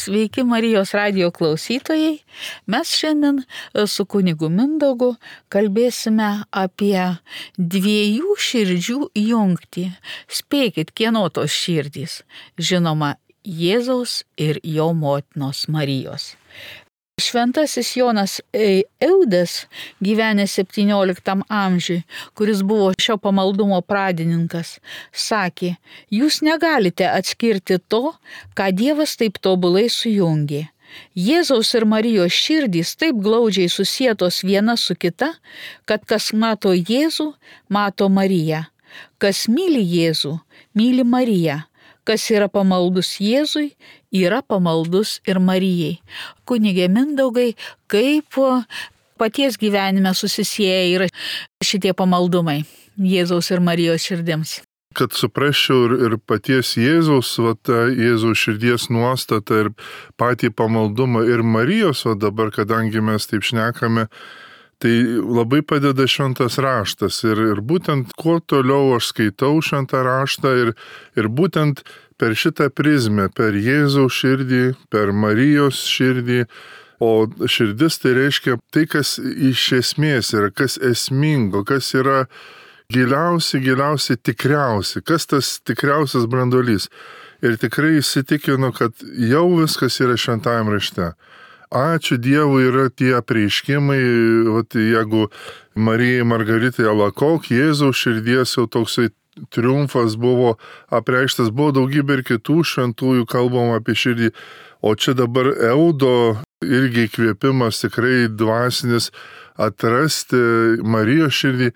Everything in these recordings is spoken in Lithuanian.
Sveiki Marijos radijo klausytojai. Mes šiandien su kunigu Mindaugu kalbėsime apie dviejų širdžių jungtį. Spėkit, kieno tos širdys? Žinoma, Jėzaus ir jo motinos Marijos. Šventasis Jonas Eudas, gyvenęs 17 amžiui, kuris buvo šio pamaldumo pradininkas, sakė: jūs negalite atskirti to, ką Dievas taip tobulai sujungė. Jėzaus ir Marijos širdys taip glaudžiai susietos viena su kita, kad kas mato Jėzų, mato Mariją. Kas myli Jėzų, myli Mariją. Kas yra pamaldus Jėzui, yra pamaldus ir Marijai. Kunige Mindaugai, kaip paties gyvenime susisieja yra šitie pamaldumai Jėzaus ir Marijos širdims? Kad suprasčiau ir paties Jėzaus, Jėzaus širdies nuostatą ir patį pamaldumą ir Marijos, dabar, kadangi mes taip šnekame, tai labai padeda šventas raštas ir būtent kuo toliau aš skaitau šventą raštą ir būtent per šitą prizmę, per Jėzaus širdį, per Marijos širdį, o širdis tai reiškia tai, kas iš esmės yra, kas esmingo, kas yra giliausiai tikriausi, kas tas tikriausias branduolys. Ir tikrai įsitikinu, kad jau viskas yra šventajam rašte. Ačiū Dievui yra tie apreiškimai, jeigu Marijai Margaritai Alakok, Jėzaus širdies jau toksai triumfas buvo apreikštas, buvo daugybė ir kitų šventųjų kalbama apie širdį, o čia dabar Eudo irgi įkvėpimas tikrai dvasinis atrasti Marijos širdį,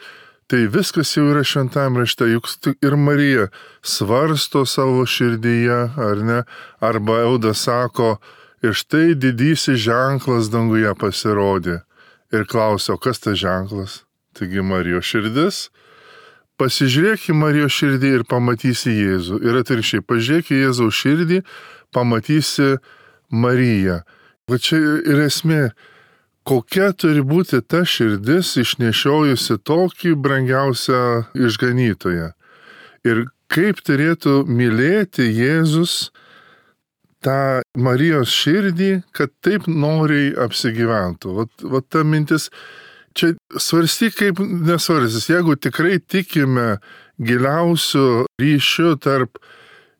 tai viskas jau yra šventajam rašte, juk ir Marija svarsto savo širdyje, ar ne, arba Eudas sako: ir štai didysis ženklas danguje pasirodė. Ir klausia, o kas tas ženklas? Taigi Marijos širdis. Pasižiūrėk į Marijos širdį ir pamatysi Jėzų. Ir atvirkščiai, pažiūrėk į Jėzaus širdį, pamatysi Mariją. Va čia ir esmė, kokia turi būti ta širdis išnešiojusi tokį brangiausią išganytoją. Ir kaip turėtų mylėti Jėzus tą Marijos širdį, kad taip noriai apsigyventų. Vat ta mintis, čia svarstyk kaip nesvarstys. Jeigu tikrai tikime giliausių ryšių tarp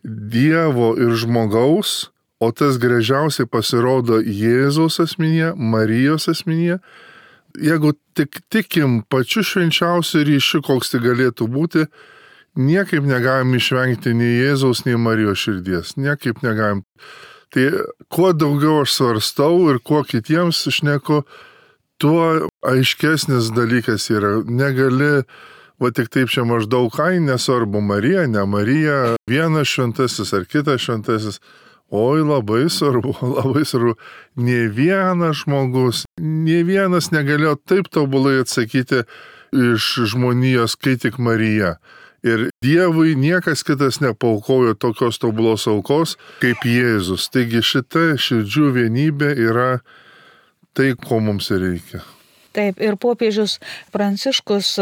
Dievo ir žmogaus, o tas gražiausiai pasirodo Jėzaus asmenyje, Marijos asmenyje, jeigu tik tikim pačiu švenčiausiu ryšiu, koks tai galėtų būti, niekaip negalim išvengti nei Jėzaus, nei Marijos širdies. Niekaip negalim. Tai kuo daugiau aš svarstau ir kuo kitiems šneku, tuo aiškesnis dalykas yra. Negali, tik taip čia maždaug, nesvarbu Marija, ne Marija, vienas šventasis ar kitas šventasis. Oi, labai svarbu. Nė vienas žmogus, nė vienas negalėjo taip tobulai atsakyti iš žmonijos, kai tik Marija. Ir Dievui niekas kitas nepaukojo tokios tobulos aukos kaip Jėzus. Taigi šita širdžių vienybė yra tai, ko mums reikia. Taip, ir popiežius Pranciškus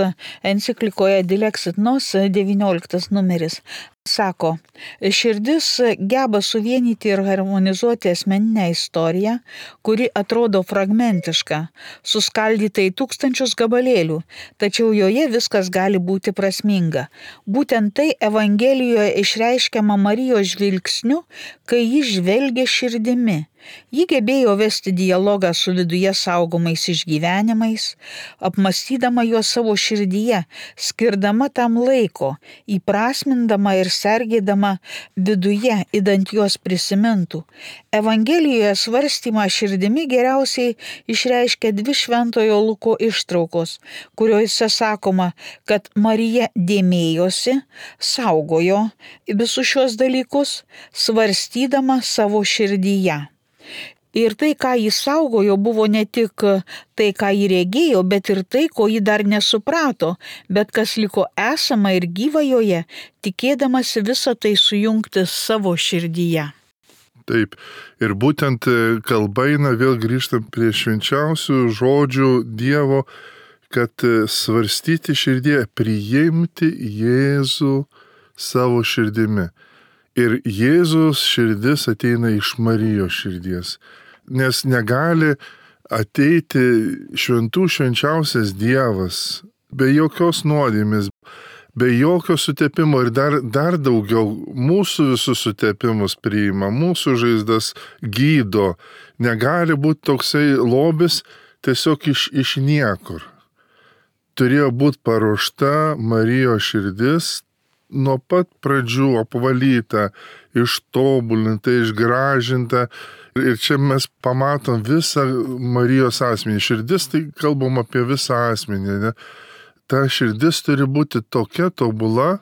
enciklikoje Dilexit Nos 19 numeris sako: širdis geba suvienyti ir harmonizuoti asmeninę istoriją, kuri atrodo fragmentiška, suskaldyta į tūkstančius gabalėlių, tačiau joje viskas gali būti prasminga. Būtent tai Evangelijoje išreiškiama Marijos žvilgsniu, kai ji žvelgia širdimi. Ji gebėjo vesti dialogą su viduje saugomais išgyvenimais, apmąstydama juos savo širdyje, skirdama tam laiko, įprasmindama ir sergėdama viduje, idant juos prisimintų. Evangelijoje svarstymą širdimi geriausiai išreiškia 2 Šventojo Luko ištraukos, kuriuose sakoma, kad Marija dėmėjosi, saugojo visus šios dalykus, svarstydama savo širdyje. Ir tai, ką jis saugojo, buvo ne tik tai, ką jį regėjo, bet ir tai, ko jį dar nesuprato, bet kas liko esama ir gyva joje, tikėdamasi visą tai sujungti savo širdyje. Taip, ir būtent kalba eina, vėl grįžtam prie švenčiausių žodžių Dievo, kad svarstyti širdyje, priimti Jėzų savo širdimi. Ir Jėzaus širdis ateina iš Marijos širdies. Nes negali ateiti šventų švenčiausias Dievas be jokios nuodėmės, be jokio sutepimo ir dar daugiau mūsų visus sutepimus priima, mūsų žaizdas gydo. Negali būti toksai lobis tiesiog iš niekur. Turėjo būti paruošta Marijos širdis nuo pat pradžių apvalyta, ištobulinta, išgražinta. Ir čia mes pamatom visą Marijos asmenį. Širdis, tai kalbam apie visą asmenį, ne? Ta širdis turi būti tokia tobula,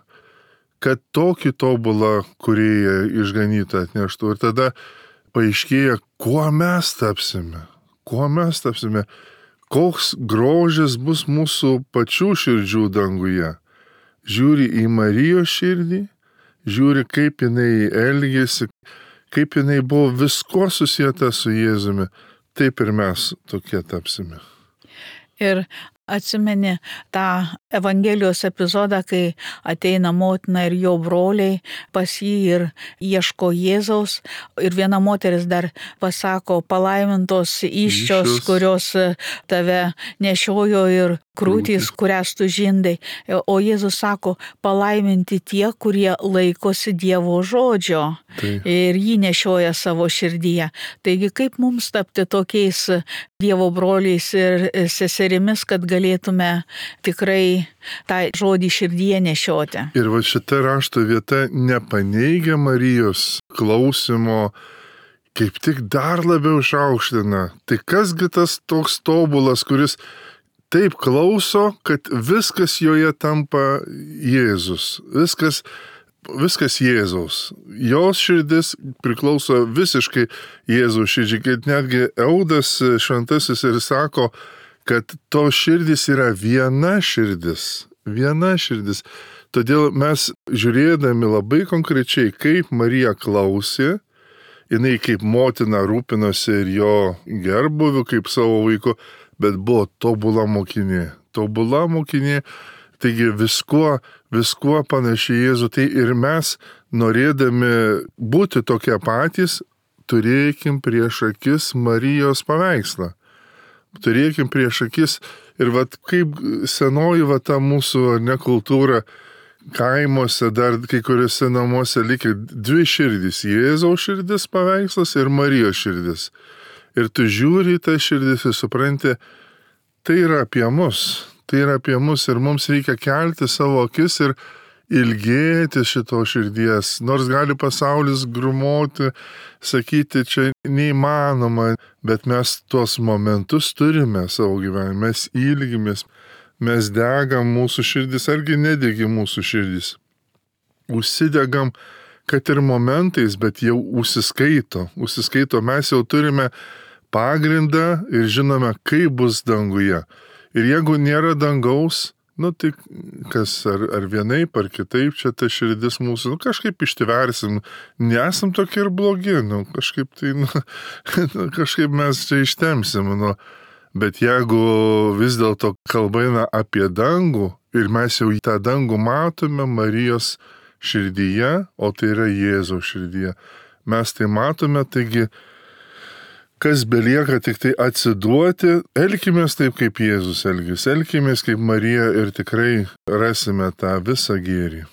kad tokį tobulą kūrėją išganytą atneštų. Ir tada paaiškėja, kuo mes tapsime. Koks grožis bus mūsų pačių širdžių danguje. Žiūri į Marijos širdį, žiūri, kaip jinai elgėsi, kaip jinai buvo visko susieta su Jėzumi, taip ir mes tokie tapsime. Ir atsimeni tą Evangelijos epizodą, kai ateina motina ir jo broliai pas jį ir ieško Jėzaus. Ir viena moteris dar pasako, palaimintos įsčios, kurios tave nešiojo ir krūtys, kurias tu žindai. O Jėzus sako, palaiminti tie, kurie laikosi Dievo žodžio. Taip. Ir jį nešioja savo širdyje. Taigi kaip mums tapti tokiais Dievo broliais ir seserimis, kad galėtume tikrai tą žodį širdyje nešioti. Ir va šita rašto vieta nepaneigia Marijos klausimo, kaip tik dar labiau išaukština. Tai kasgi tas toks tobulas, kuris taip klauso, kad viskas joje tampa Jėzus. Viskas Jėzaus. Jos širdis priklauso visiškai Jėzaus širdžiai, kad netgi Eudas šventasis ir sako, kad to širdis yra viena širdis. Todėl mes žiūrėdami labai konkrečiai, kaip Marija klausė, jinai kaip motina rūpinosi ir jo gerbuviu, kaip savo vaiku, bet buvo tobula mokinė. Taigi viskuo panašiai Jėzų. Tai ir mes, norėdami būti tokie patys, turėkim prieš akis Marijos paveikslą. Turėkim prieš akis ir kaip senoji ta mūsų nekultūra kaimuose, dar kai kuriuose namuose likę dvi širdys. Jėzaus širdis paveikslas ir Marijos širdis. Ir tu žiūri į tą širdis ir supranti, tai yra apie mus ir mums reikia kelti savo akis ir ilgėti šito širdies. Nors gali pasaulis grumoti, sakyti, čia neįmanoma, bet mes tuos momentus turime savo gyvenime, mes ilgimės, mes degam mūsų širdis, argi nedegi mūsų širdis. Užsidegam, kad ir momentais, bet jau užsiskaito, mes jau turime pagrindą ir žinome, kaip bus danguje. Ir jeigu nėra dangaus, tai kas ar vienaip, ar kitaip, čia ta širdis mūsų, kažkaip ištversim, nesam tokie ir blogi, kažkaip mes čia ištemsim, bet jeigu vis dėlto kalba eina apie dangų ir mes jau tą dangų matome Marijos širdyje, o tai yra Jėzaus širdyje, mes tai matome, taigi kas belieka tik tai atsiduoti, elkimės taip, kaip Jėzus elgėsi, elkimės kaip Marija ir tikrai rasime tą visą gėrį.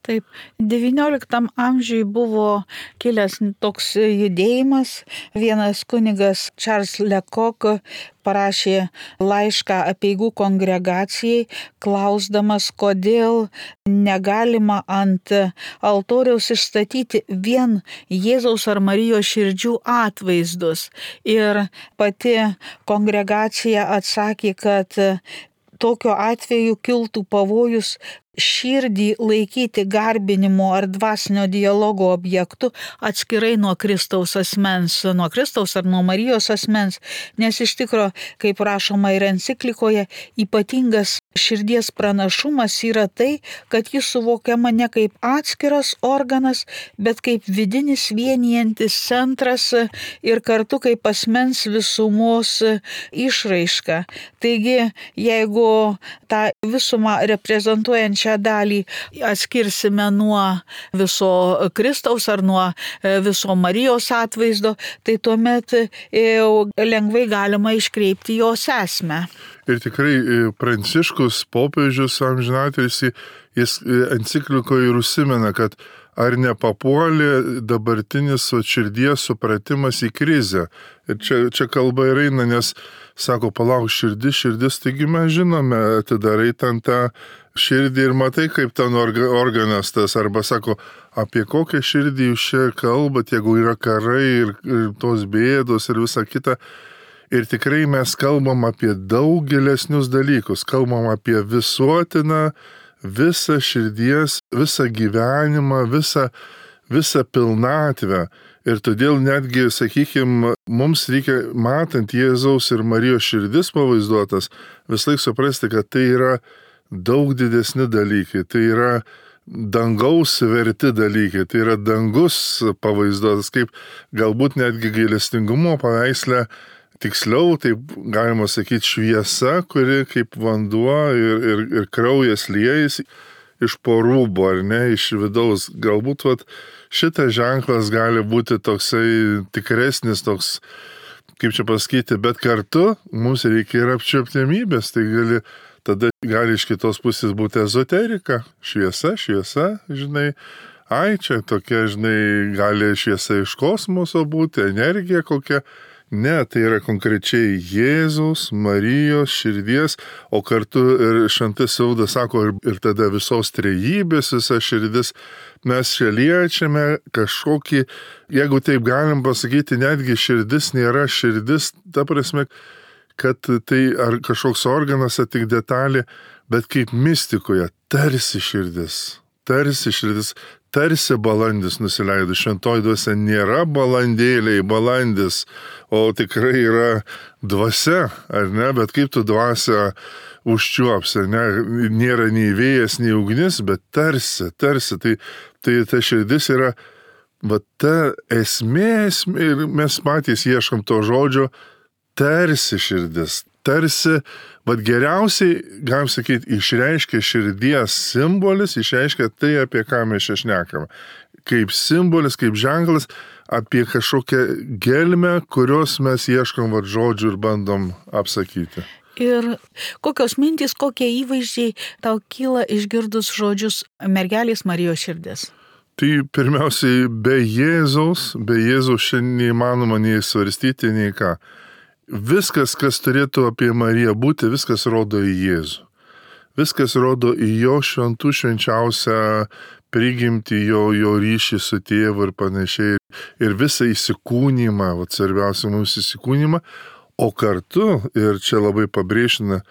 Taip, XIX amžiui buvo kilęs toks judėjimas. Vienas kunigas Charles Lecoq parašė laišką apeigų kongregacijai, klausdamas, kodėl negalima ant altoriaus išstatyti vien Jėzaus ar Marijos širdžių atvaizdus. Ir pati kongregacija atsakė, kad tokiu atveju kiltų pavojus širdį laikyti garbinimo ar dvasinio dialogo objektu atskirai nuo Kristaus asmens, nuo Kristaus ar nuo Marijos asmens, nes iš tikro, kaip rašoma ir enciklikoje, ypatingas širdies pranašumas yra tai, kad jis suvokiama ne kaip atskiras organas, bet kaip vidinis vienijantis centras ir kartu kaip asmens visumos išraiška. Taigi, jeigu tą visumą reprezentuojančią šią dalį atskirsime nuo viso Kristaus ar nuo viso Marijos atvaizdo, tai tuomet jau lengvai galima iškreipti jos esmę. Ir tikrai Pranciškus, popiežius amžinatilsį, jis enciklikoje ir užsimena, kad ar nepapuolė dabartinis širdies supratimas į krizę. Ir čia kalba ir eina, nes sako, palauk, širdis, taigi mes žinome, atidarai ten tą širdį ir matai, kaip ten organas tas, arba sako, apie kokią širdį jūs čia kalbat, jeigu yra karai ir tos bėdos ir visa kita. Ir tikrai mes kalbam apie daug gilesnius dalykus, kalbam apie visuotiną, visą širdies, visą gyvenimą, visą pilnatvę. Ir todėl netgi, sakykime, mums reikia, matant Jėzaus ir Marijos širdis pavaizduotas, vislaik suprasti, kad tai yra daug didesni dalykai, tai yra dangaus verti dalykai, tai yra dangus pavaizduotas, kaip galbūt netgi gailestingumo paveiksle, tiksliau, taip galima sakyti, šviesa, kuri kaip vanduo ir kraujas liejasi iš po rūbo, ar ne, iš vidaus. Galbūt šitas ženklas gali būti toksai tikresnis, toks, kaip čia pasakyti, bet kartu mums reikia ir apčiuoptiamybės, tai tada gali iš kitos pusės būti ezoterika, šviesa, žinai, čia tokia, žinai, gali šviesa iš kosmoso būti, energija kokia. Ne, tai yra konkrečiai Jėzaus, Marijos širdies, o kartu ir šventas Saudas sako, ir tada visos trejybės visa širdis, mes čia liečiame kažkokį, jeigu taip galim pasakyti, netgi širdis nėra širdis, ta prasme, kad tai ar kažkoks organas, ar tik detalė, bet kaip mistikoje, tarsi širdis, tarsi balandis nusileido. Šventoji dvasia nėra balandėliai, balandis, o tikrai yra dvasia, ar ne, bet kaip tu dvasia užčiuopsi, ne, nėra nei vėjas, nei ugnis, bet tarsi, tai ta širdis yra, ta esmė, ir mes patys ieškom to žodžio, tarsi širdis, tarsi, geriausiai, galim sakyti, išreiškia širdies simbolis, išreiškia tai, apie ką mes čia šnekame. Kaip simbolis, kaip ženklas, apie kažkokią gelmę, kurios mes ieškom žodžių ir bandom apsakyti. Ir kokios mintys, kokie įvaizdžiai tau kyla išgirdus žodžius mergelės Marijos širdis? Tai pirmiausiai, be Jėzaus šiandien neįmanoma nei svarstyti, nei ką. Viskas, kas turėtų apie Mariją būti, viskas rodo į Jėzų. Viskas rodo į jo šventų švenčiausią prigimtį, jo ryšį su tėvu ir panašiai. Ir visą įsikūnymą, svarbiausia mums įsikūnymą, o kartu, ir čia labai pabrėžina,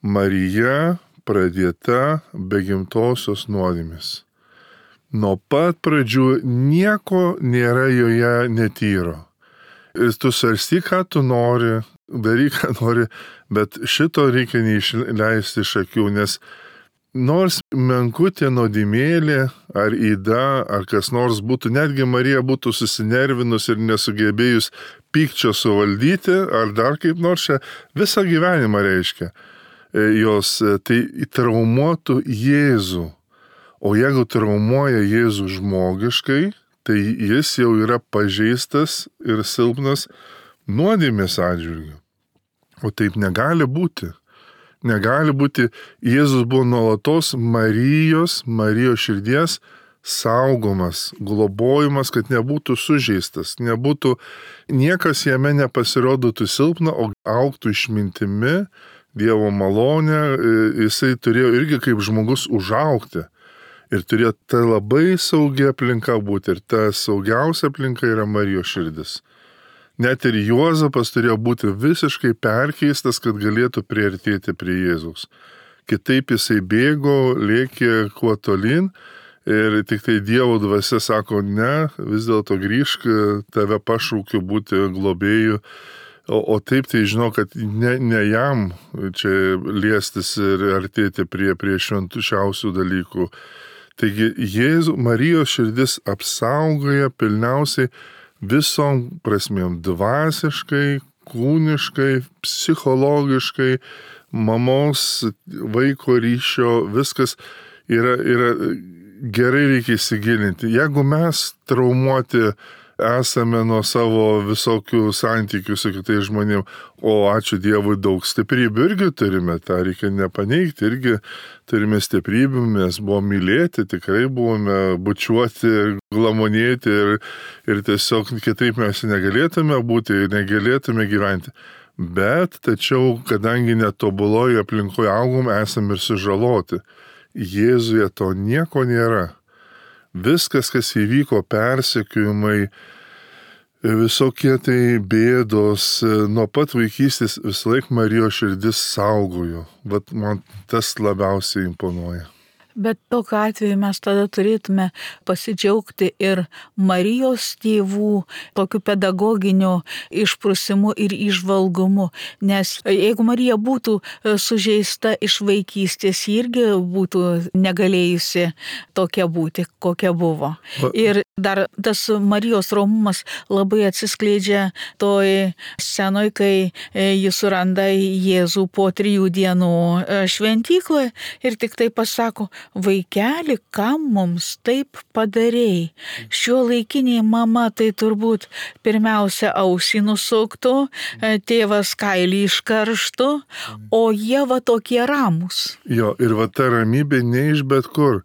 Marija pradėta be gimtosios nuodėmės. Nuo pat pradžių nieko nėra joje netyro. Ir tu svarstyk, ką tu nori, daryk, ką nori, bet šito reikia neišleisti iš akių, nes nors menkutė nuodėmėlė, ar yda, ar kas nors būtų, netgi Marija būtų susinervinus ir nesugebėjus pykčio suvaldyti, ar dar kaip nors čia visą gyvenimą reiškia, jos tai traumuotų Jėzų. O jeigu traumuoja Jėzų žmogiškai, tai jis jau yra pažeistas ir silpnas nuodėmės atžvilgiu. O taip negali būti. Negali būti. Jėzus buvo nuolatos Marijos širdies saugomas, globojimas, kad nebūtų sužeistas, niekas jame nepasirodytų silpna, o augtų išmintimi, Dievo malonė, jisai turėjo irgi kaip žmogus užaugti. Ir turėjo ta labai saugia aplinka būti. Ir ta saugiausia aplinka yra Marijos širdis. Net ir Juozapas turėjo būti visiškai perkeistas, kad galėtų priartėti prie Jėzaus. Kitaip jisai bėgo, lėkė kuo tolyn. Ir tik tai Dievo dvasia sako, ne, vis dėlto grįžk, tave pašaukiu būti globėju. O taip tai žinau, kad ne jam čia liestis ir artėti prie švenčiausių dalykų. Taigi Marijos širdis apsaugoja pilniausiai visom prasmėm - dvasiškai, kūniškai, psichologiškai, mamos, vaiko ryšio, viskas. yra gerai reikia įsigilinti. Jeigu mes traumuoti esame nuo savo visokių santykių su kitais žmonėmis, o ačiū Dievui daug stiprybių irgi turime, tą reikia nepaneigti, irgi turime stiprybių, mes buvome mylėti, tikrai buvome bučiuoti, glamonėti ir tiesiog kitaip mes negalėtume būti, negalėtume gyventi. Bet tačiau, kadangi netobuloje aplinkoje augom, esame ir sužaloti. Jėzuje to nieko nėra. Viskas, kas įvyko, persekiojimai, visokie tai bėdos, nuo pat vaikystės visąlaik Marijos širdis saugojo. Vat man tas labiausiai imponuoja. Bet tokiu atveju mes tada turėtume pasidžiaugti ir Marijos tėvų tokiu pedagoginiu išprusimu ir įžvalgumu. Nes jeigu Marija būtų sužeista iš vaikystės, ji irgi būtų negalėjusi tokia būti, kokia buvo. Ir dar tas Marijos romumas labai atsiskleidžia toj scenoj, kai jis suranda Jėzų po 3 dienų šventykloje ir tik tai pasako: vaikeli, kam mums taip padarei? Šiuolaikinė mama tai turbūt pirmiausia ausį nusuktų, tėvas kailį iškarštų, o jie va tokie ramus. Jo, ir va ta ramybė ne iš bet kur.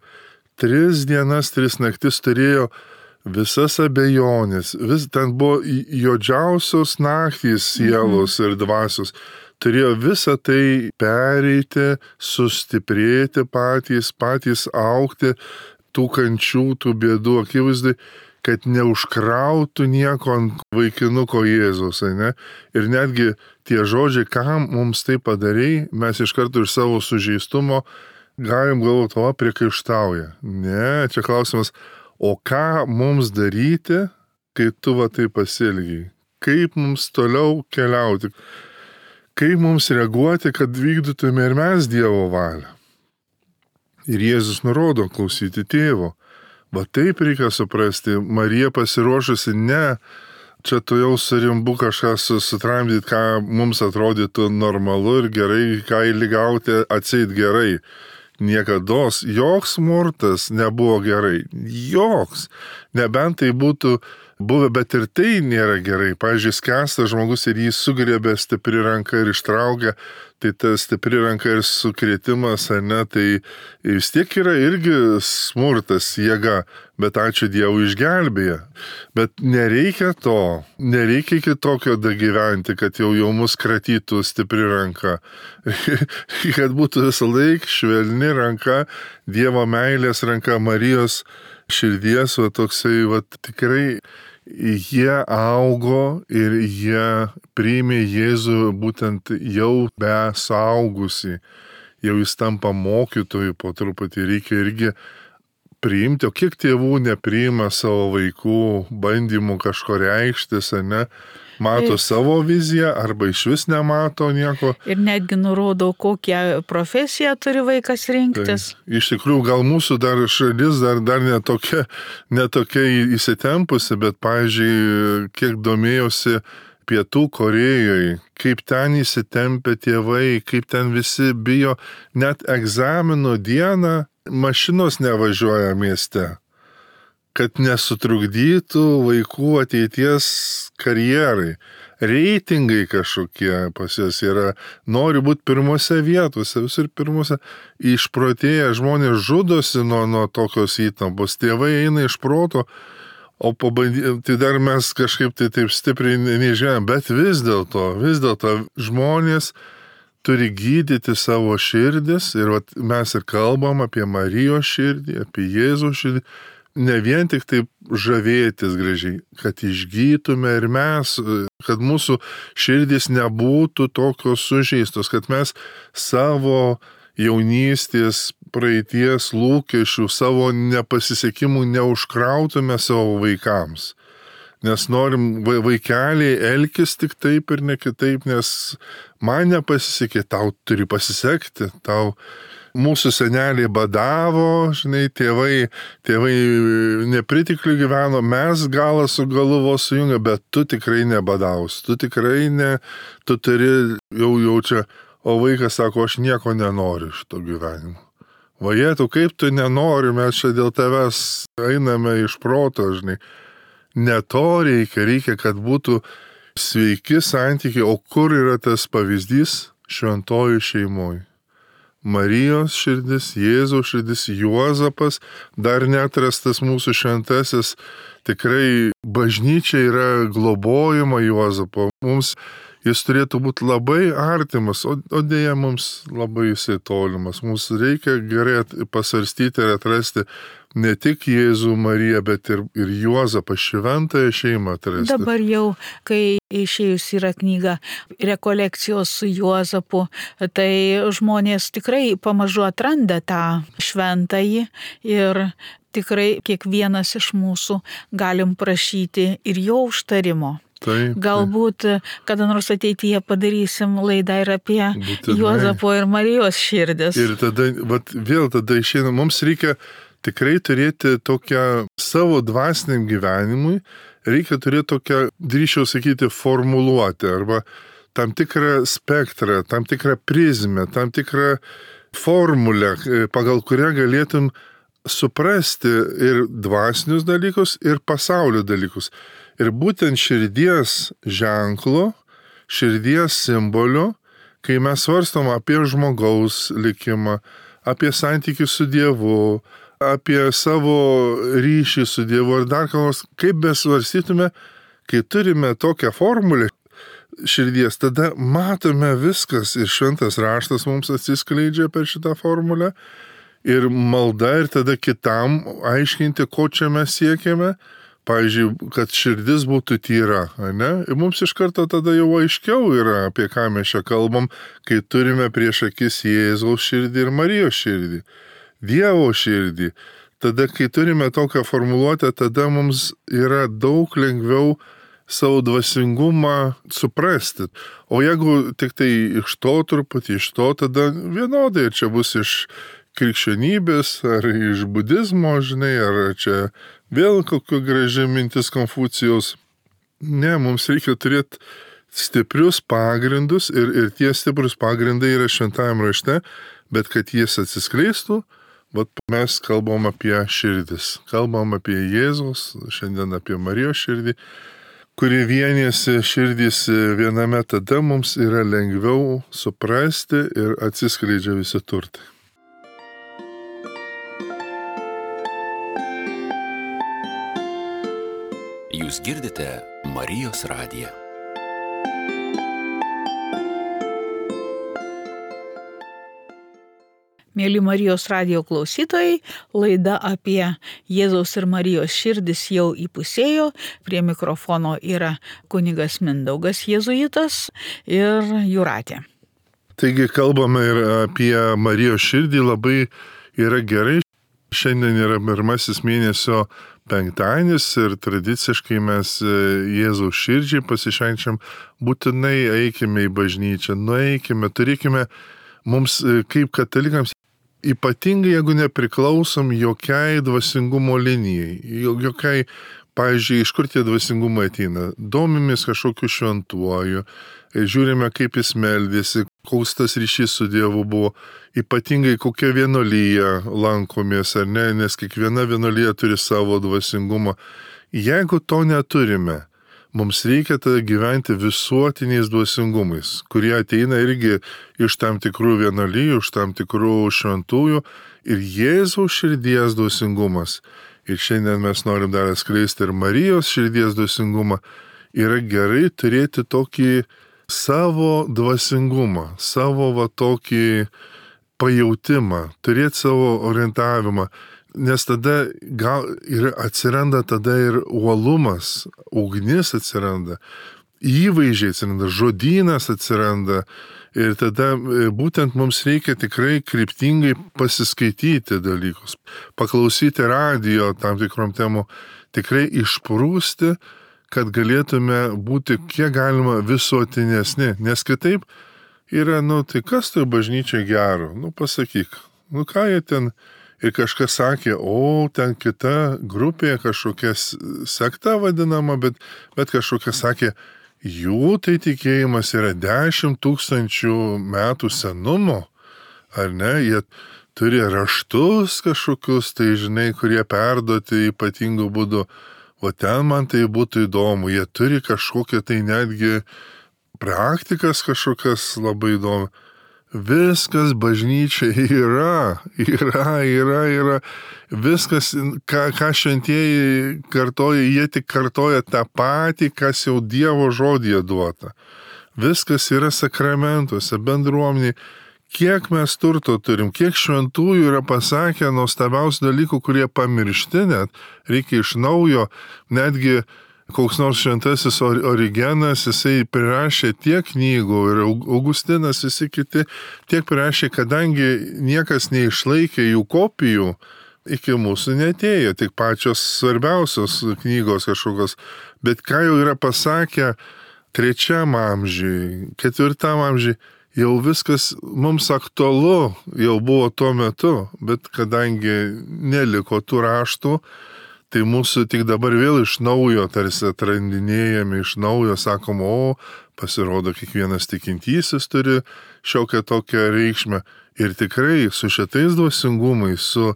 3 dienas, 3 naktis turėjo visas abejonės, ten buvo juodžiausios naktys sielos ir dvasios. Turėjo visą tai pereiti, sustiprėti patys augti tų kančių, tų bėdų akivaizdai, kad neužkrautų nieko ant vaikinuko Jėzaus, ne? Ir netgi tie žodžiai, kam mums tai padarei, mes iš karto iš savo sužeistumo galim galvoti, o priekaištauja. Ne, čia klausimas, o ką mums daryti, kai tu va tai pasielgiai? Kaip mums toliau keliauti? Kaip mums reaguoti, kad vykdytume ir mes Dievo valią? Ir Jėzus nurodo klausyti tėvo. Va taip reikia suprasti, Marija pasiruošusi ne, čia tu jau surimbu kažką sutramdyti, ką mums atrodytų normalu ir gerai, ką įligauti atseit gerai. Niekados joks smurtas nebuvo gerai. Joks. Nebent tai būtų buvę, bet ir tai nėra gerai. Pavyzdžiui, skęstas žmogus ir jį sugriebė stipri ranka ir ištraukė, tai ta stipri ranka ir sukrėtimas, ne, tai vis tiek yra irgi smurtas, jėga, bet ačiū Dievui išgelbėja. Bet nereikia to, nereikia iki tokio dagyventi, kad jau mus kratytų stipri ranka. Kad būtų visą laiką švelni ranka, Dievo meilės ranka, Marijos širdies, va toksai, va tikrai jie augo ir jie priėmė Jėzų būtent jau be suaugusi, jau jis tampa mokytoju po truputį, reikia irgi priimti, o kiek tėvų nepriima savo vaikų bandymų kažko reikštis, ne? Mato savo viziją arba iš vis nemato nieko. Ir netgi nurodo, kokią profesiją turi vaikas rinktis. Tai, iš tikrųjų, gal mūsų dar šalis dar netokia įsitempusi, bet, pavyzdžiui, kiek domėjosi Pietų Korėjoje, kaip ten įsitempia tėvai, kaip ten visi bijo, net egzamino dieną mašinos nevažiuoja mieste, kad nesutrukdytų vaikų ateities karjerai. Reitingai kažkokie pas jas yra, nori būti pirmose vietose, visur pirmose. Išprotėję žmonės žudosi nuo tokios įtampos, tėvai eina iš proto, o tai dar mes kažkaip tai taip stipriai nežinome, bet vis dėlto žmonės turi gydyti savo širdis ir mes ir kalbam apie Marijos širdį, apie Jėzaus širdį. Ne vien tik taip žavėtis gražiai, kad išgytume ir mes, kad mūsų širdis nebūtų tokios sužeistos, kad mes savo jaunystės, praeities lūkesčių, savo nepasisekimų neužkrautume savo vaikams. Nes norim vaikeliai elkis tik taip ir ne kitaip, nes man nepasisekė, tau turi pasisekti, tau. Mūsų seneliai badavo, žinai, tėvai nepritikliu gyveno, mes galą su galu vos sujungia, bet tu tikrai nebadaus, tu tikrai ne, tu turi jau čia, o vaikas sako, aš nieko nenoriu iš to gyvenimo. Vajetu, kaip tu nenori, mes čia dėl tavęs einame iš proto, žinai. Ne to reikia, kad būtų sveiki santykiai, o kur yra tas pavyzdys? Šventojų šeimoje. Marijos širdis, Jėzaus širdis, Juozapas, dar neatrastas mūsų šventasis, tikrai bažnyčia yra globojama Juozapo. Mums jis turėtų būti labai artimas, o dėja mums labai jisai tolimas. Mums reikia gerai pasvarstyti ir atrasti ne tik Jėzų Mariją, bet ir Juozapą, šventąją šeimą atrasti. Dabar jau, kai išėjus yra knyga Rekolekcijos su Juozapu, tai žmonės tikrai pamažu atranda tą šventąjį ir tikrai kiekvienas iš mūsų galim prašyti ir jo užtarimo. Taip. Galbūt kada nors ateityje padarysim laidą ir apie Juozapo ir Marijos širdis. Ir tada, vėl išeina, mums reikia tikrai turėti tokią savo dvasiniam gyvenimui, reikia turėti tokią, drįsčiau sakyti, formuluotę arba tam tikrą spektrą, tam tikrą prizmę, tam tikrą formulę, pagal kurią galėtum suprasti ir dvasinius dalykus, ir pasaulio dalykus. Ir būtent širdies ženklo, širdies simbolio, kai mes svarstom apie žmogaus likimą, apie santykių su Dievu, apie savo ryšį su Dievu ar dar ką nors, kaip besvarstytume, kai turime tokią formulę širdies, tada matome viskas ir šventas raštas mums atsiskleidžia per šitą formulę ir malda ir tada kitam aiškinti, ko čia mes siekiame. Pavyzdžiui, kad širdis būtų tyra, ne? Ir mums iš karto tada jau aiškiau yra, apie ką mes čia kalbam, kai turime prieš akis Jėzaus širdį ir Marijos širdį, Dievo širdį. Tada, kai turime tokią formuluotę, tada mums yra daug lengviau savo dvasingumą suprasti. O jeigu tik tai iš to truputį, iš to, tada vienodai čia bus iš krikščionybės ar iš budizmo, žinai, ar čia vėl kokia graži mintis Konfucijaus. Ne, mums reikia turėti stiprius pagrindus ir tie stiprus pagrindai yra šventajam rašte, bet kad jis atsiskleistų, mes kalbam apie širdis. Kalbam apie Jėzaus, šiandien apie Marijos širdį, kuri vienėsi širdys viename, tada mums yra lengviau suprasti ir atsiskleidžia visi turtai. Jūs girdite Marijos radiją. Mėly Marijos radijo klausytojai, laida apie Jėzaus ir Marijos širdis jau įpusėjo. Prie mikrofono yra kunigas Mindaugas jėzuitas ir Jūratė. Taigi kalbame ir apie Marijos širdį, labai yra gerai. Šiandien yra pirmasis mėnesio penktadienis ir tradiciškai mes Jėzaus širdžiai pasišvenčiam, būtinai eikime į bažnyčią, nueikime, turėkime mums kaip katalikams, ypatingai jeigu nepriklausom jokiai dvasingumo linijai, jokiai, pavyzdžiui, iš kur tie dvasingumai ateina, domimės kažkokiu šventuoju, žiūrime kaip jis meldėsi, koks tas ryšys su Dievu buvo, ypatingai kokia vienuolyja lankomės ar ne, nes kiekviena vienuolyja turi savo dvasingumą. Jeigu to neturime, mums reikia tada gyventi visuotiniais dvasingumais, kurie ateina irgi iš tam tikrų vienuolijų, iš tam tikrų šventųjų ir Jėzaus širdies dvasingumas. Ir šiandien mes norim dar atskleisti ir Marijos širdies dvasingumą. Yra gerai turėti tokį savo dvasingumą, savo tokį pajautimą, turėti savo orientavimą, nes tada atsiranda tada ir uolumas, ugnis atsiranda, įvaizdžiai atsiranda, žodynas atsiranda ir tada būtent mums reikia tikrai kryptingai pasiskaityti dalykus, paklausyti radijo tam tikrom temų, tikrai išprūsti, kad galėtume būti kiek galima visuotinesni, nes kitaip yra, tai kas tai bažnyčia gero, pasakyk, ką jie ten, ir kažkas sakė, ten kita grupė, kažkokia sekta vadinama, bet kažkokia sakė, jų tai tikėjimas yra 10 000 metų senumo, ar ne, jie turi raštus kažkokius, tai žinai, kurie perduoti ypatingų būdų. O ten man tai būtų įdomu. Jie turi kažkokią tai netgi praktikas kažkokias labai įdomu. Viskas bažnyčia yra. Viskas, ką šventieji kartoja, jie tik kartoja tą patį, kas jau Dievo žodyje duota. Viskas yra sakramentuose, bendruomeniai. Kiek mes turto turim, kiek šventųjų yra pasakę nuostabiausių dalykų, kurie pamiršti net, reikia iš naujo, netgi koks nors šventasis Origenas, jisai prirašė tiek knygų ir Augustinas, visi kiti, tiek prirašė, kadangi niekas neišlaikė jų kopijų, iki mūsų netėjo, tik pačios svarbiausios knygos kažkokios, bet ką jau yra pasakę 3 amžiui, 4 amžiui, jau viskas mums aktualu, jau buvo tuo metu, bet kadangi neliko tų raštų, tai mūsų tik dabar vėl iš naujo tarsi atrandinėjami, iš naujo sakom, pasirodo, kiekvienas tikintysis turi šiokią tokią reikšmę. Ir tikrai su šitais dvasingumais, su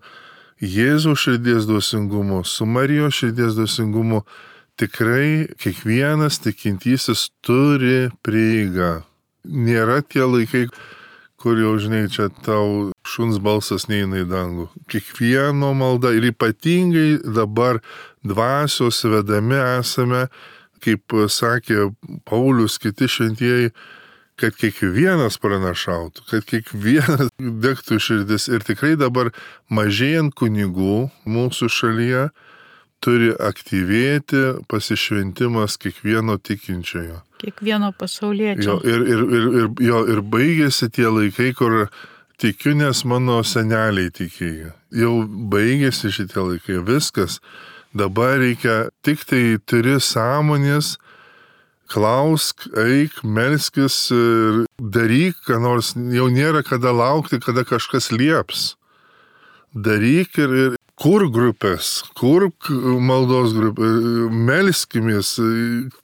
Jėzaus širdies dvasingumu, su Marijos širdies dvasingumu, tikrai kiekvienas tikintysis turi prieigą. Nėra tie laikai, kur jau, žinai, čia tau šuns balsas neina į dangų. Kiekvieno malda ir ypatingai dabar dvasios vedami esame, kaip sakė Paulius, kiti šventieji, kad kiekvienas pranašautų, kad kiekvienas degtų širdis. Ir tikrai dabar mažėjant kunigų mūsų šalyje turi aktyvėti pasišventimas kiekvieno tikinčiojo. Kiekvieno pasauliečio. Ir baigėsi tie laikai, kur tikiu, nes mano seneliai tikėjo. Jau baigėsi šitie laikai, viskas. Dabar reikia, tik tai turi sąmonės, klausk, eik, melskis ir daryk, ką nors, jau nėra kada laukti, kada kažkas lieps. Daryk ir kur grupės, kur maldos grupės, melskimės,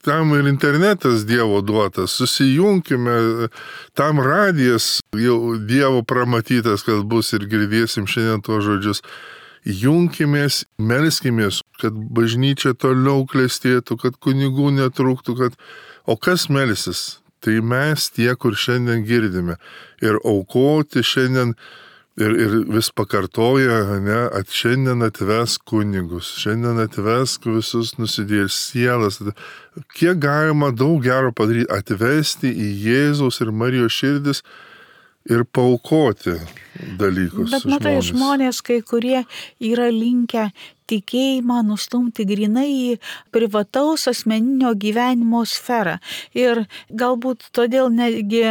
tam ir internetas Dievo duotas, susijungkime, tam radijas jau Dievo pramatytas, kad bus ir girdėsim šiandien tuos žodžius. Junkimės, melskimės, kad bažnyčia toliau klestėtų, kad kunigų netrūktų, o kas melsis? Tai mes tie, kur šiandien girdime. Ir aukoti šiandien ir vis pakartoja, šiandien atvesk kunigus, šiandien atvesk visus nusidėjus sielas. Kiek galima daug gero padaryti, atvesti į Jėzaus ir Marijos širdis ir paaukoti dalykus. Bet matai, žmonės, kai kurie yra linkę tikėjimą nustumti grinai į privataus asmeninio gyvenimo sferą. Ir galbūt todėl netgi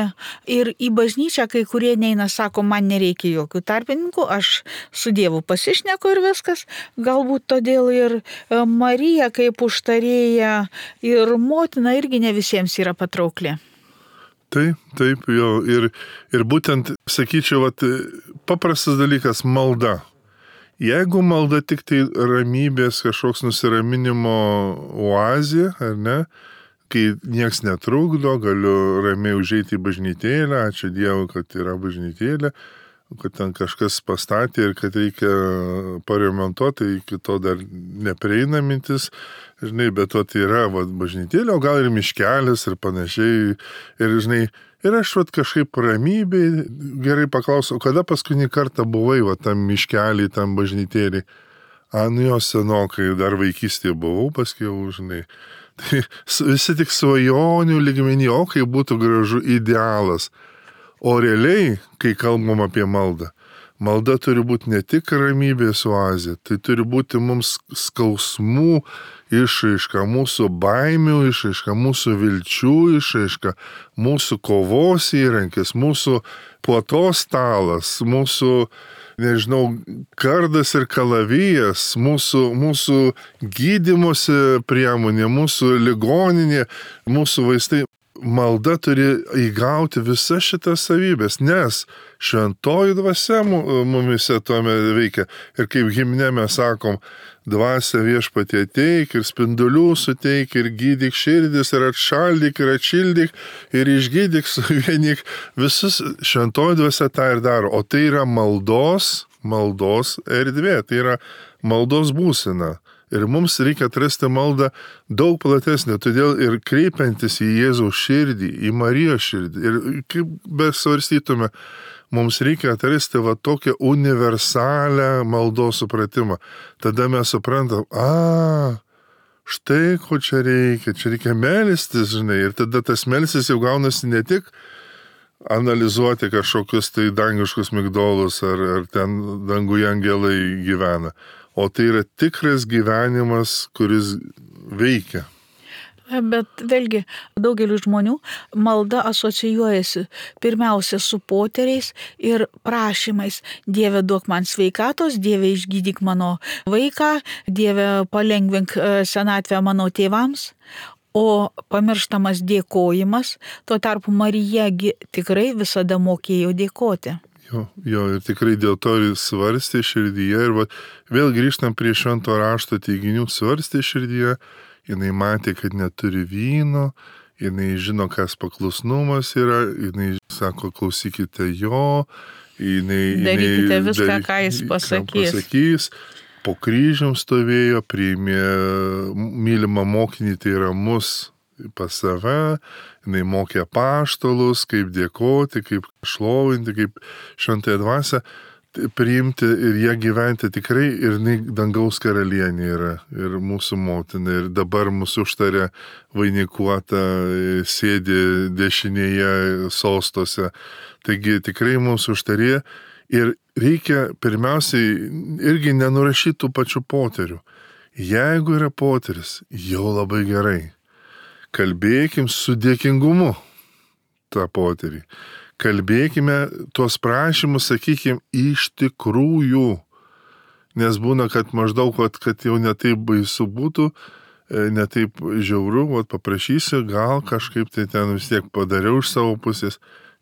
ir į bažnyčią kai kurie neina, sako, man nereikia jokių tarpininkų, aš su Dievu pasišneku ir viskas. Galbūt todėl ir Marija kaip užtarėja ir motina irgi ne visiems yra patraukli. Taip, jo. Ir būtent, sakyčiau, paprastas dalykas - malda. Jeigu malda tik tai ramybės, kažkoks nusiraminimo oazė, ar ne, kai nieks netrukdo, galiu ramiai užeiti į bažnytėlę, ačiū Dievui, kad yra bažnytėlė, kad ten kažkas pastatė ir kad reikia paremontuoti, iki to dar neprieina mintis, žinai, bet tai yra bažnytėlė, o gal ir miškelis ir panašiai. Ir, žinai, ir aš kažkaip ramybėj gerai paklausiau, kada paskutinį kartą buvai tam miškelį, tam bažnytėlį? Nu jo senokai, dar vaikystėje buvau, paskui jau, žinai. Tai visi tik svajonių lygmenį, kai būtų gražu idealas. O realiai, kai kalbam apie maldą, malda turi būti ne tik ramybės oazė, tai turi būti mums skausmų išraiška, mūsų baimių išraiška, mūsų vilčių išraiška, mūsų kovos įrankis, mūsų puotos stalas, mūsų, nežinau, kardas ir kalavijas, mūsų gydymosi priemonė, mūsų ligoninė, mūsų vaistai. malda turi įgauti visas šitas savybės, nes šventoji dvasia mumise tuome veikia. Ir kaip himne mes sakom, dvasia viešpatie ateik ir spindulių suteik ir gydyk širdis ir atšaldyk ir atšildyk ir išgydyk, suvienyk. Visus šventoji dvasia tą ir daro. O tai yra maldos erdvė, tai yra maldos būsena. Ir mums reikia atrasti maldą daug platesnė, todėl ir kreipiantis į Jėzaus širdį, į Marijos širdį. Ir kaip besvarstytume, mums reikia atrasti va tokią universalią maldos supratimą. Tada mes suprantam, štai ko čia reikia melstis, žinai. Ir tada tas melstis jau gaunasi ne tik analizuoti kažkokius tai dangiškus migdolus ar ten danguje angelai gyvena. O tai yra tikras gyvenimas, kuris veikia. Bet vėlgi, daugeliu žmonių malda asocijuojasi pirmiausia su poteriais ir prašymais. Dieve, duok man sveikatos, Dieve, išgydyk mano vaiką, Dieve, palengvink senatvę mano tėvams. O pamirštamas dėkojimas, tuo tarpu Marija tikrai visada mokėjo dėkoti. Jo, ir tikrai dėl to ir svarstė širdyje. Ir vėl grįžtam prie švento rašto teiginių, svarstė širdyje. Jinai matė, kad neturi vyno, jinai žino, kas paklusnumas yra, jinai sako, klausykite jo, darykite viską, ką jis pasakys. Po kryžium stovėjo, priėmė mylimą mokinį, tai yra mus pas save, jinai mokė apaštalus, kaip dėkoti, kaip šlovinti, kaip šventąją dvasią priimti ir ją gyventi tikrai, ir jinai dangaus karalienė yra, ir mūsų motina, ir dabar mūsų užtarė vainikuota, sėdi dešinėje sostuose. Taigi tikrai mūsų užtarė ir reikia pirmiausiai irgi nenurašyti tų pačių poterių. Jeigu yra poteris, jau labai gerai. Kalbėkim su dėkingumu tą poterį. Kalbėkime tuos prašymus, sakykim, iš tikrųjų. Nes būna, kad maždaug, kad jau netaip baisu būtų, netaip žiauru, paprašysiu, gal kažkaip tai ten vis tiek padariau iš savo pusės.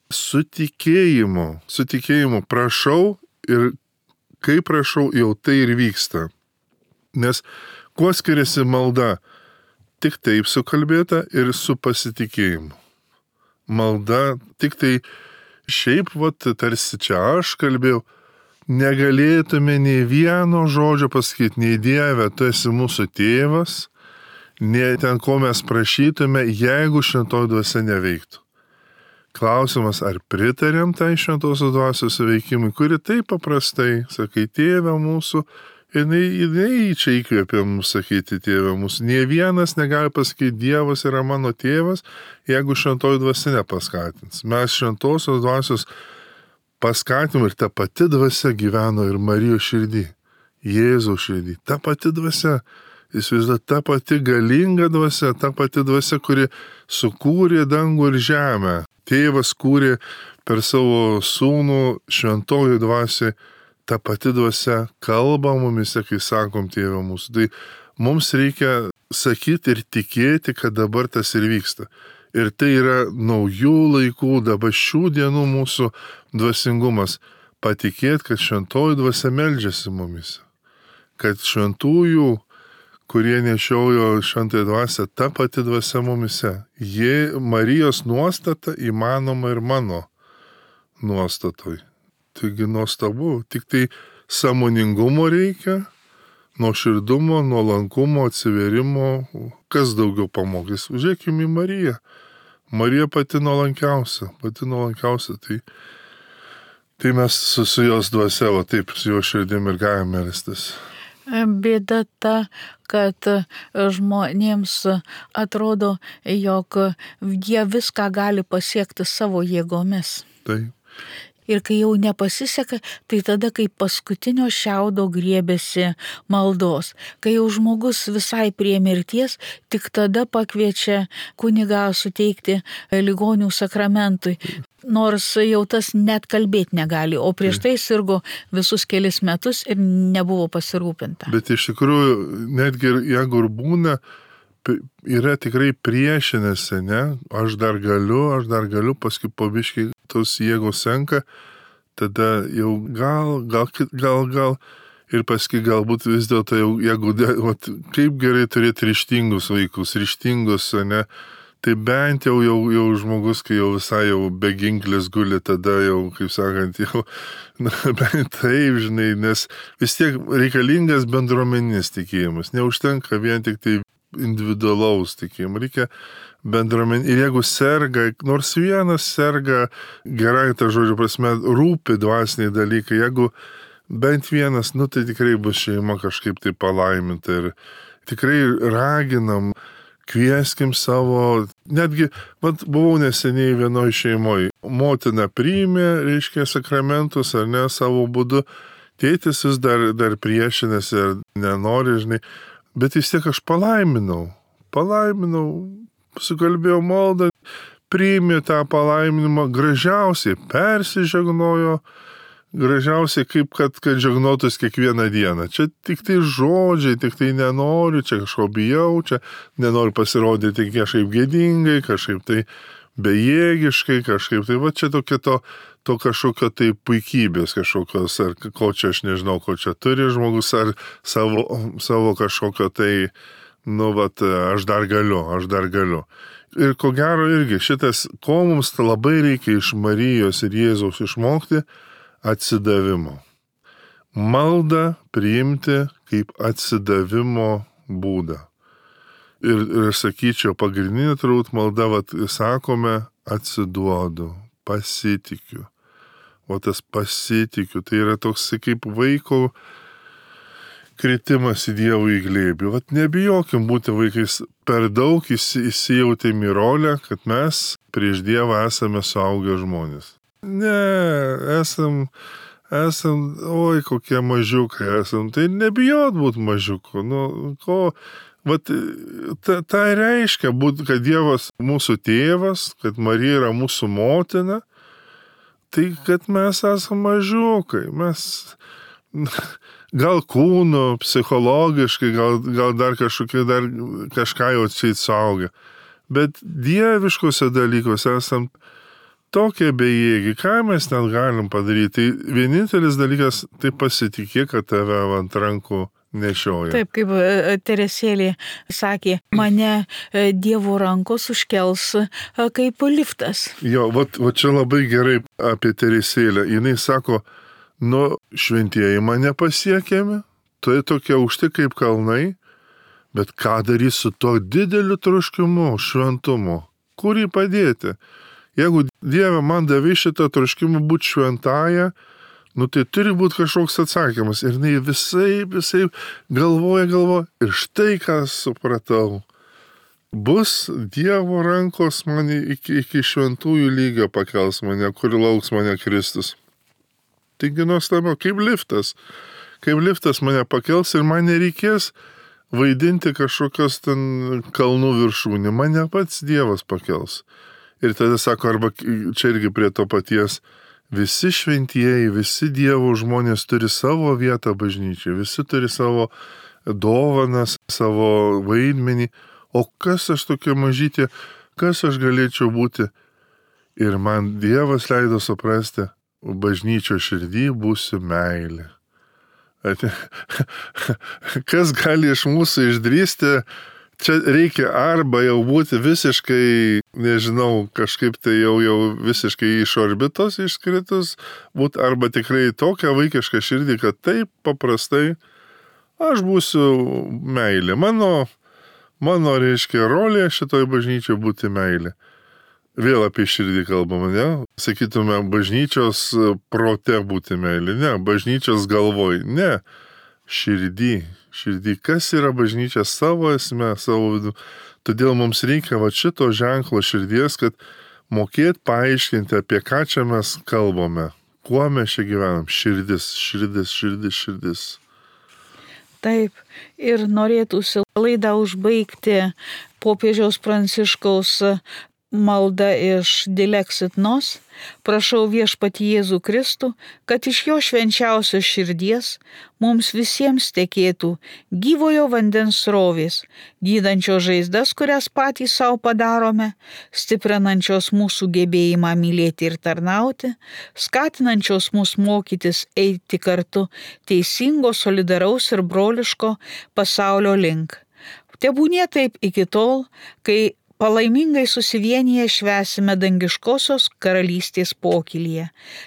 Su tikėjimu prašau ir kai prašau, jau tai ir vyksta. Nes kuo skiriasi malda? Tik taip sukalbėta ir su pasitikėjimu. Malda tik tai šiaip, tarsi čia aš kalbėjau, negalėtume nei vieno žodžio pasakyti, nei Dieve, tu esi mūsų tėvas, nei ten, ko mes prašytume, jeigu šventoji dvasia neveiktų. Klausimas, ar pritarėm tai šventosios dvasios veikimui, kuri taip paprastai, sakai, Tėve mūsų, jinai čia įkvėpė mums sakyti Tėve mūsų. Nė vienas negali pasakyti, Dievas yra mano tėvas, jeigu šventoji dvasia nepaskatins. Mes šventosios dvasios paskatim ir ta pati dvasia gyveno ir Marijos širdį, Jėzaus širdį. Ta pati dvasia, ta pati galinga dvasia, ta pati dvasia, kuri sukūrė dangų ir žemę. Tėvas kūrė per savo sūnų šventoji dvasia. Ta pati dvasia kalba mumise, kai sakom Tėve mūsų. Tai mums reikia sakyti ir tikėti, kad dabar tas ir vyksta. Ir tai yra naujų laikų, dabar šių dienų mūsų dvasingumas. Patikėti, kad šventoji dvasia meldžiasi mumise. Kad šventųjų, kurie nešiojo šventąją dvasią, ta pati dvasia mumise. Marijos nuostata įmanoma ir mano nuostatoj. Taigi nuostabu, tik tai sąmoningumo reikia, nuoširdumo, nuolankumo, atsiverimo, kas daugiau pamokys. Žiūrėkime į Mariją. Marija pati nuolankiausia. Tai mes su jos dvasia, taip, su jo širdim ir galime melstis. Bėda ta, kad žmonėms atrodo, jog jie viską gali pasiekti savo jėgomis. Taip. Ir kai jau nepasiseka, tai tada kaip paskutinio šiaudo griebėsi maldos. Kai jau žmogus visai prie mirties, tik tada pakviečia kunigą suteikti ligonių sakramentui. Nors jau tas net kalbėti negali, o prieš tai sirgo visus kelis metus ir nebuvo pasirūpinta. Bet iš tikrųjų, netgi jeigu ir būna yra tikrai priešinasi, ne? Aš dar galiu, paskui po biškį tos jėgos senka, tada jau gal. Ir paskui galbūt vis dėlto jau, jeigu, kaip gerai turėti ryžtingus vaikus, ne? Tai bent jau žmogus, kai jau visai jau beginklis guli, tada jau, kaip sakant, jau, bent taip, žinai, nes vis tiek reikalingas bendruomeninis tikėjimas. Neužtenka vien tik tai individualaus tikėjimo, reikia bendruomenį. Ir jeigu serga, nors vienas serga, gerai ta žodžio prasme, rūpi dvasiniai dalykai, jeigu bent vienas, tai tikrai bus šeima kažkaip tai palaiminta ir tikrai raginam, kvieskim savo, netgi, buvau neseniai vienoj šeimoje, motina priėmė, reiškia, sakramentus, ar ne, savo būdu, tėtis vis dar priešinasi ir nenori, žinai, bet vis tiek aš palaiminau, sukalbėjau maldą, priėmė tą palaiminimą, gražiausiai persižegnojo, gražiausiai kaip kad žegnotus kiekvieną dieną. Čia tik tai žodžiai, tik tai nenoriu, čia kažko bijau, čia nenoriu pasirodyti kažkaip gėdingai, kažkaip tai bejėgiškai, kažkaip tai, čia tokia to kažkokio tai puikybės kažkokios, ar ko čia aš nežinau, ko čia turi žmogus, ar savo kažkokio tai, aš dar galiu. Ir ko gero irgi šitas, ko mums labai reikia iš Marijos ir Jėzaus išmokti, atsidavimo. Maldą priimti kaip atsidavimo būdą. Ir sakyčiau, pagrindinė turbūt malda, sakome, atsiduodu, pasitikiu. O tas pasitikiu, tai yra toks kaip vaiko kritimas į Dievo į glėbį. Nebijokim būti vaikais, per daug įsijautėm į rolę, kad mes prieš Dievą esame suaugę žmonės. Ne, esam, oi, kokie mažiukai esam, tai nebijot būti mažiuku. Tai reiškia, kad Dievas mūsų tėvas, kad Marija yra mūsų motina, tai kad mes esam mažiukai, mes gal kūnu, psichologiškai, gal dar kažką jau čia suaugę, bet dieviškose dalykuose esam tokie bejėgiai, ką mes net galim padaryti. Tai vienintelis dalykas, tai pasitikėk, kad tave ant rankų nešioja. Taip, kaip Teresėlė sakė, mane Dievo rankos užkels kaip liftas. Jo, čia labai gerai apie Teresėlę. Jinai sako, šventieji mane pasiekėme, tai tokie aukšti kaip kalnai, bet ką darys su to dideliu troškimu, šventumu? Kur jį padėti? Jeigu Dieve man davė šitą troškimą būti šventąją, tai turi būti kažkoks atsakymas. Ir jinai visai galvoja. Ir štai ką supratau. Bus Dievo rankos mane iki šventųjų lygio pakels mane, kur lauks mane Kristus. Taigi nuostabu, kaip liftas mane pakels ir man nereikės vaidinti kažkokios ten kalnų viršūnį. Mane pats Dievas pakels. Ir tada sako, arba čia irgi prie to paties, visi šventieji, visi Dievo žmonės turi savo vietą bažnyčiai, visi turi savo dovanas, savo vaidmenį, o kas aš tokia mažytė, kas aš galėčiau būti. Ir man Dievas leido suprasti, bažnyčio širdį būsiu meilė. Kas gali iš mūsų išdrįsti, čia reikia arba jau būti visiškai, nežinau, kažkaip tai jau visiškai iš orbitos iškritus, būti arba tikrai tokia vaikiška širdį, kad taip paprastai aš būsiu meilė. Mano reiškia rolė šitoj bažnyčioje būti meilė. Vėl apie širdį kalbame, ne? Sakytume, bažnyčios prote būti meilė, ne, bažnyčios galvoj, ne, širdį. Kas yra bažnyčia savo esme, savo vidu. Todėl mums reikia šito ženklo širdies, kad mokėt paaiškinti, apie ką čia mes kalbame, kuo mes čia gyvenam. Širdis. Taip, ir norėtųsi laidą užbaigti popiežiaus Pranciškaus Malda iš Dilexit Nos. Prašau viešpatį Jėzų Kristų, kad iš jo švenčiausios širdies mums visiems tekėtų gyvojo vandens srovės, gydančios žaizdas, kurias patys savo padarome, stiprinančios mūsų gebėjimą mylėti ir tarnauti, skatinančios mus mokytis eiti kartu teisingo, solidaraus ir broliško pasaulio link. Tebūnie taip iki tol, kai palaimingai susivienyje švęsime dangiškosios karalystės pokylyje.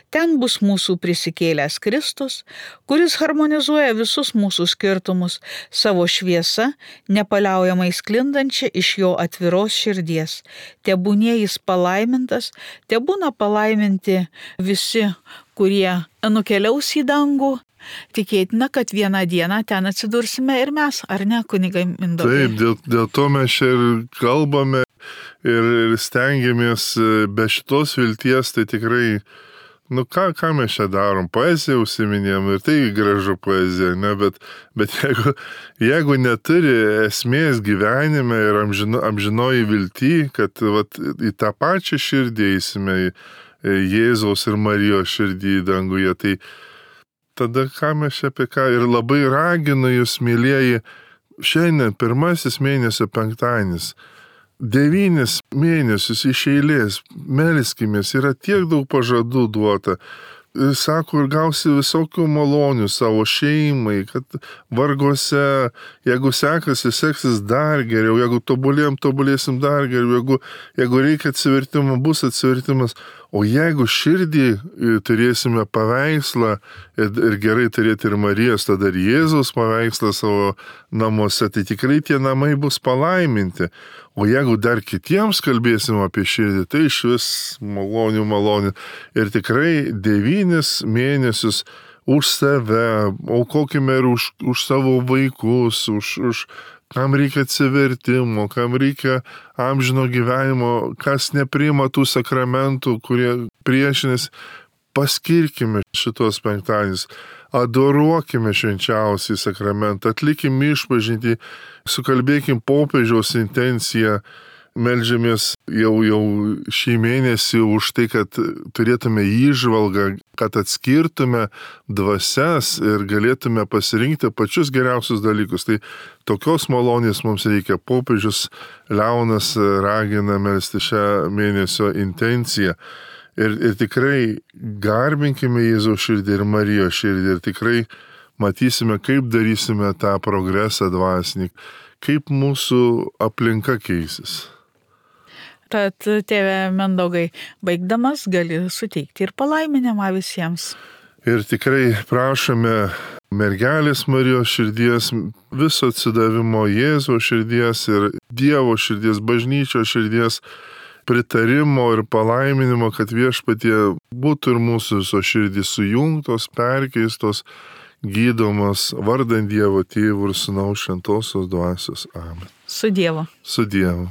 Ten bus mūsų prisikėlęs Kristus, kuris harmonizuoja visus mūsų skirtumus savo šviesa, nepaliaujamai sklindančia iš jo atviros širdies. Tebūnie jis palaimintas, tebūna palaiminti visi, kurie nukeliaus į dangų. Tikėtina, kad vieną dieną ten atsidursime ir mes, ar ne, kunigai Mindaugai? Taip, dėl to mes čia ir kalbame ir stengiamės be šitos vilties, tai tikrai, ką mes čia darom, poeziją užsiminėm ir tai gražu poezija, ne, bet jeigu neturi esmės gyvenime ir amžinoji vilty, kad į tą pačią širdį eisime, Jėzaus ir Marijos širdį danguje, tai tada ką mes čia apie ką ir labai raginu jūs, mylieji, šiandien pirmasis mėnesio penktadienis, 9 mėnesius iš eilės, melskimės, yra tiek daug pažadų duota. Sako, ir gausi visokių malonių savo šeimai, kad vargose, jeigu seksis dar geriau, jeigu tobulėsim dar geriau, jeigu reikia atsivertimo, bus atsivertimas. O jeigu širdį turėsime paveikslą ir gerai turėti ir Marijos, tada ir Jėzaus paveikslą savo namuose, tai tikrai tie namai bus palaiminti. O jeigu dar kitiems kalbėsim apie širdį, tai iš vis malonių. Ir tikrai 9 mėnesius už save, aukokime ir už savo vaikus, už kam reikia atsivertimo, kam reikia amžino gyvenimo, kas nepriima tų sakramentų, kurie priešinės, paskirkime šitos penktadienius, adoruokime švenčiausiai sakramentą, atlikim išpažintį, sukalbėkim popiežiaus intenciją, meldžiamės jau šį mėnesį už tai, kad turėtume įžvalgą, kad atskirtume dvasias ir galėtume pasirinkti pačius geriausius dalykus. Tai tokios malonės mums reikia. Popiežius Leonas ragina melsti šią mėnesio intenciją. Ir tikrai garbinkime Jėzaus širdį ir Marijos širdį ir tikrai matysime, kaip darysime tą progresą dvasinį, kaip mūsų aplinka keisis. Tad, tėve Mindaugai, baigdamas gali suteikti ir palaiminimą visiems. Ir tikrai prašome mergelės Marijos širdies, viso atsidavimo Jėzaus širdies ir Dievo širdies, bažnyčios širdies, pritarimo ir palaiminimo, kad viešpatie būtų ir mūsų visos širdys sujungtos, perkeistos, gydomos vardant Dievo Tėvų ir Sūnaus šventosios dvasios. Amen. Su Dievu. Su Dievu.